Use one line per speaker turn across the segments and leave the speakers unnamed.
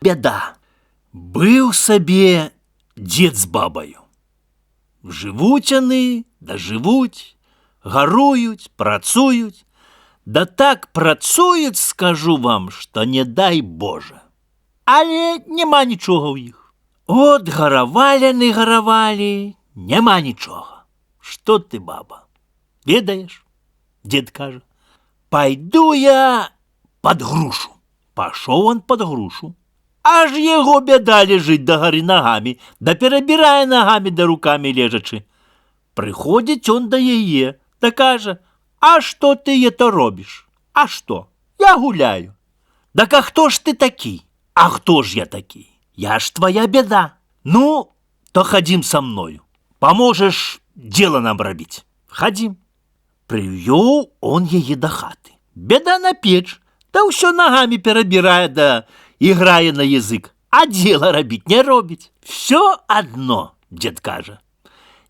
Бяда. Быў сабе дзед з бабаю. Жывуць яны, дажывуць, гаруюць, працуюць. Да так працуюць, скажу вам, што не дай Божа. Але няма нічога ў іх. От гаравалі яны гаравалі, няма нічога. Што ты, баба, ведаеш? Дзед кажа, пайду я пад грушу. Пашоў он пад грушу. Аж яго бяда лежыць дагары нагамі, да перабірае нагамі да рукамі лежачы. Прыходзіць он да яе, да кажа, а што ты это робіш? А што? Я гуляю. Так а хто ж ты такі? А хто ж я такі? Я ж твоя бяда. Ну, то хадзім са мною. Поможешь дело нам рабіць. Хадзім. Прывёў он яе да хаты. Бяда на печ, да ўсё нагамі перабірае, да іграе на язык. А дело рабіць не робіць. Всё адно, дзед кажа.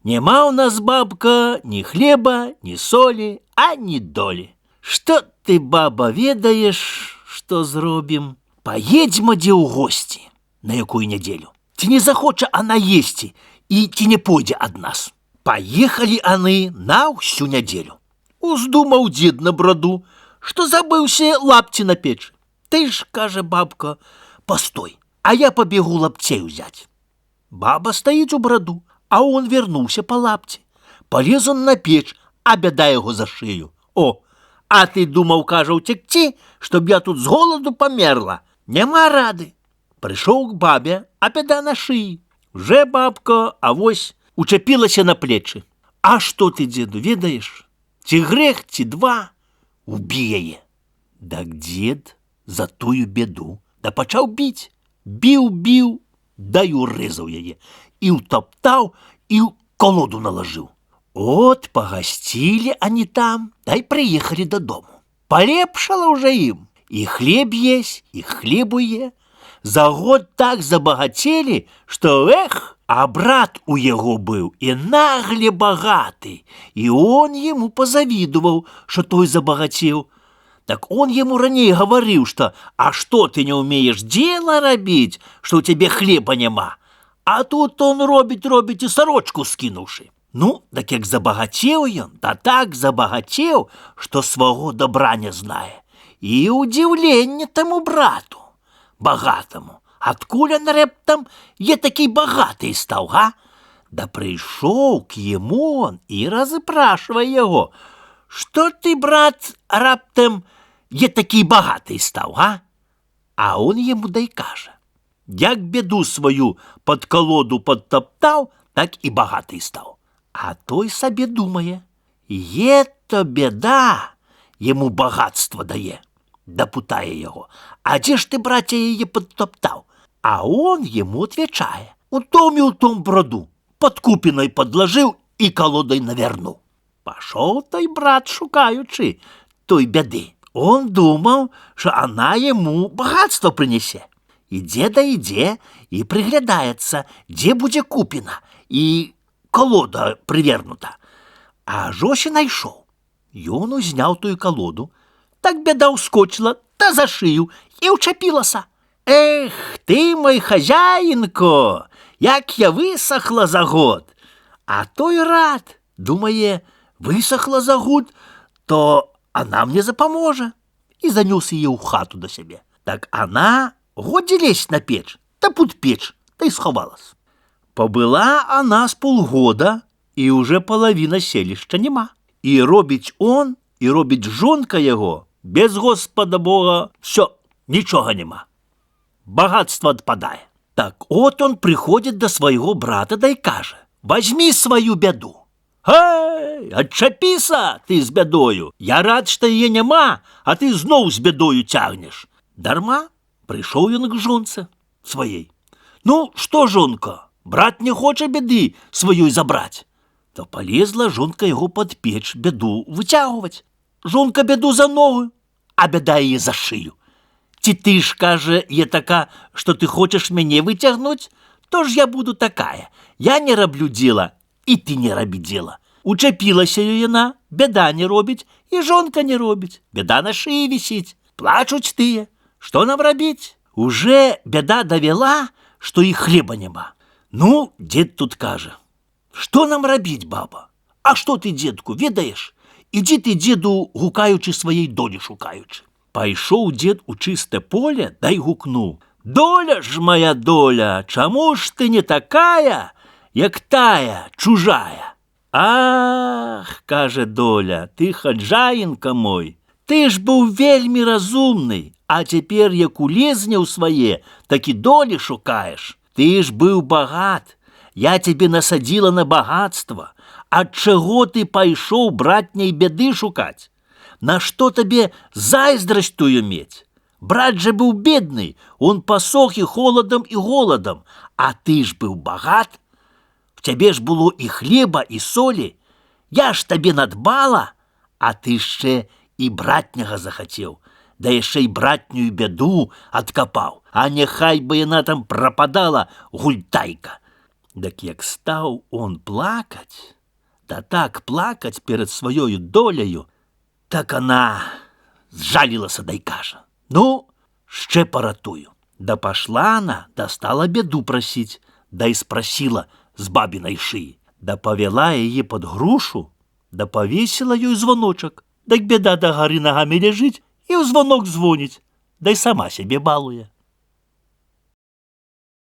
Нема ў нас, бабка, ні хлеба, ні солі, а ні долі. Што ты, баба, ведаеш, што зробім? Паедзьма дзе ў госці. На якую нядзелю? Ці не захоча она есці і ці не пойдзе ад нас? Паехалі аны на ўсю нядзелю. Уздумаў дзед на браду, што забыўся лапці на печы. Ты ж, кажа бабка, постой, а я пабегу лапцей узяць. Баба стаіць у браду, а он вернуўся па лапці. Палез он на печ, а бяда яго за шыю. О, а ты думаў, кажа, уцекці, чтоб я тут з голаду памерла? Няма рады. Прыйшоў к бабе, а бяда на шыі. Уже бабка, авось, учапілася на плечы. А што ты, дзеду, ведаеш? Ці грэх, ці два, убі яе. Так дзед за тую беду, да пачаў біць. Біў, да і урэзаў яе. І ўтаптаў, і ў колоду налажыў. От пагасцілі ані там, да і прыехалі дадому. Палепшала ўжо ім. І хлеб есть, і хлебу е. За год так забагацелі, што а брат у яго быў і нагле багаты. І он яму пазавідуваў, што той забагацеў. Так он яму раней гаварыў, што а што ты не ўмееш дзела рабіць, што ў цябе хлеба няма. А тут он робіць і сарочку скінуўшы. Ну, так як забагацеў ён, да так забагацеў, што сваго добра не знае. І удзіўленне таму брату, багатаму. Адкуль он рэптам е такі багаты стаў, га? Да прыйшоў к яму он і разыпрашвае яго. Што ты, брат, раптам е такі багаты стаў, га? А он яму дай кажа. Як беду сваю пад колоду падтаптаў, так і багаты стаў. А той сабе думае, то беда яму багатства дае. Дапытае яго, а дзе ж ты, браце, яе падтаптаў? А он яму отвечае, у том браду, пад купінай падлажыў і колодай навернуў. Пашоў той брат, шукаючы той бяды. Он думаў, што она яму багатство прынесе. Ідзе і прыглядаецца, дзе будзе купіна і колода прывернута. А жось і найшоў. Ён узняў тую колоду, так бяда ўскочыла, та за шыю і ўчапілася. Ты мой хазяінко, як я высохла за год. А той рад, думае, высохла за год, то она мне запаможа. І занёс яе ў хату да сябе. Так она годзе лезть на печ, та під печ, та й сховалась. Побыла она з полгода, і уже половина селішча нема. І робіць он, і робіць жонка яго, без Господа Бога, все, нічога нема. Багатство адпадае. Так от он прыходзіць да свайго брата, да й кажа, возьми сваю бяду. Гэй, адчапіся ты з бядою. Я рад, што яе няма, а ты зноў з бядою цягнеш. Дарма, прыйшоў ён к жонцы сваей. Ну, што, жонка, брат не хоча бяды сваёй забраць. То полезла жонка яго пад печ бяду выцягваць. Жонка бяду за ногу, а бяда яе за шыю. Ці ты ж, кажа, е така, што ты хочаш мяне выцягнуць? То ж я буду такая. Я не раблю дзела, і ты не рабі дзела. Учапілася яна, бяда не робіць, і жонка не робіць. Бяда на шыі вісіць. Плачуць тыя. Што нам рабіць? Уже бяда давяла, што і хлеба няма. Ну, дзед тут кажа: што нам рабіць, баба? А што ты, дзедку, ведаеш? Ідзі ты, дзеду, гукаючы сваей долі шукаючы. Пайшоў дзед у чыстае поле, дай гукнуў: доля ж моя доля, чаму ж ты не такая, як тая чужая? Ах, кажа доля, ты хаджаінка мой, ты ж быў вельмі разумны, а цяпер як улезне ў свае, так і долі шукаеш. Ты ж быў багат, я тебе насадзіла на багатства. Ад чаго ты пайшоў братняй бяды шукаць? Нашто табе зайздрасць тую мець? Брат же быў бедны, он пасох і холадам і голадам, а ты ж быў багат. В цябе ж было і хлеба, і солі. Я ж табе надбала, а ты яшчэ і братняга захацеў, да яшчэ і братнюю бяду адкапаў, а няхай бы яна там прападала, гультайка. Дак як стаў он плакаць, да так плакаць перад сваёю доляю, так она зжалілася, дай кажа: ну, ще паратую. Да пашла она, да стала беду прасіць, да і спрасіла з бабінай шыі, да павяла яе пад грушу, да павесіла ёй звоночак, дык беда да гары нагамі ляжыць і ў звонок звоніць, да і сама сябе балуе.